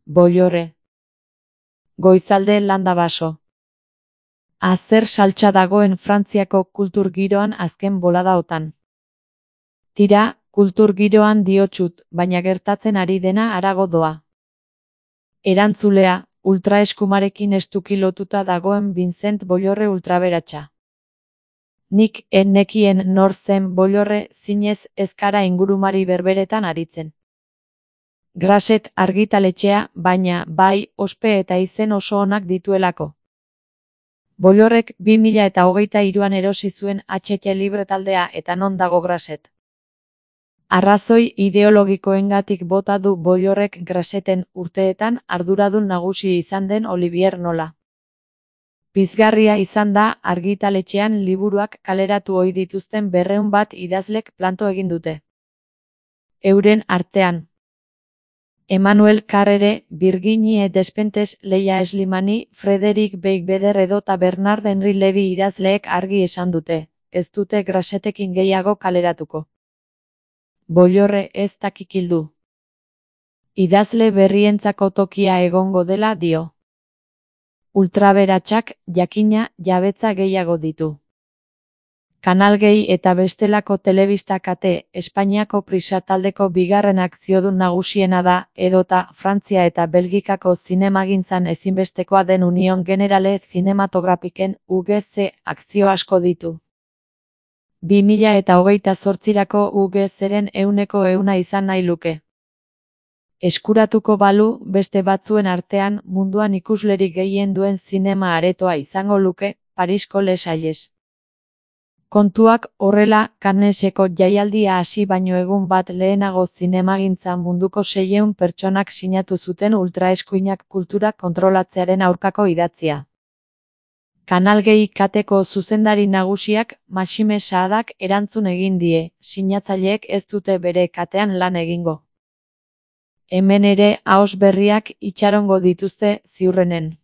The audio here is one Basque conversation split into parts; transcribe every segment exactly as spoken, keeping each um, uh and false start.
Bollorre. Goizalde landa baso. Azer saltsa dagoen Frantziako kultur giroan azken boladaotan. Tira, kultur giroan diotsut, baina gertatzen ari dena harago doa. Erantzulea, ultraeskumarekin estuki lotuta dagoen Vincent Bollorre ultraberatsa. Nik en nekien nor zen Bollorre zinez ezkara ingurumari berberetan aritzen. Grasset argitaletxea, baina bai ospe eta izen oso onak dituelako. Bollorrek bi mila eta hogeita hiruan erosi zuen H T Libre taldea eta non dago Grasset. Arrazoi ideologikoengatik bota du Bollorrek Grasseten urteetan arduradun nagusi izan den Olivier Nola. Pizgarria izan da argitaletxean liburuak kaleratu ohi dituzten berrehun bat idazlek planto egin dute. Euren artean Emmanuel Carrere, Virginie Despentes, Leia Slimani, Frederic Beigbeder edota Bernard Henry Levy idazleek argi esan dute, ez dute Grassetekin gehiago kaleratuko. Bollorre ez dakikildu. Idazle berrientzako tokia egongo dela dio. Ultraberatsak, jakina, jabetza gehiago ditu. Kanal Gehi eta bestelako telebista kate, Espainiako Prisa taldeko bigarren akziodun nagusiena da, edota Frantzia eta Belgikako zinemagintzan ezinbestekoa den Union Generale Cinematografiken U G C akzio asko ditu. bi mila eta hogeita zortzirako U G C-ren ehuneko ehuna izan nahi luke. Eskuratuko balu, beste batzuen artean munduan ikuslerik gehien duen zinema aretoa izango luke, Parisko Les Salles. Kontuak horrela, Canneseko jaialdia hasi baino egun bat lehenago zinemagintzan munduko seiehun pertsonak sinatu zuten ultraeskuinak kultura kontrolatzearen aurkako idatzia. Kanal Gehi kateko zuzendari nagusiak, Maxime Saadak erantzun egin die, sinatzaileek ez dute bere katean lan egingo. Hemen ere ahoz berriak itxarongo dituzte ziurrenen.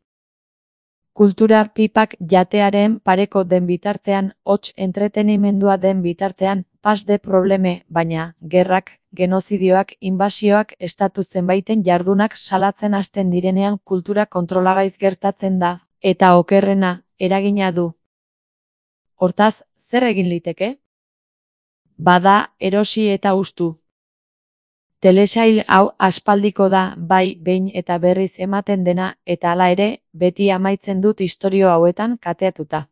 Kultura pipak jatearen pareko den bitartean, hots entretenimendua den bitartean, pas de probleme, baina, gerrak, genozidioak, inbasioak, estatu zenbaiten jardunak salatzen hasten direnean kultura kontrolagaiz gertatzen da, eta okerrena, eragina du. Hortaz, zer egin liteke? Bada, erosi eta hustu. Telesail hau aspaldiko da, bai, behin eta berriz ematen dena, eta hala ere, beti amaitzen dut istorio hauetan kateatuta.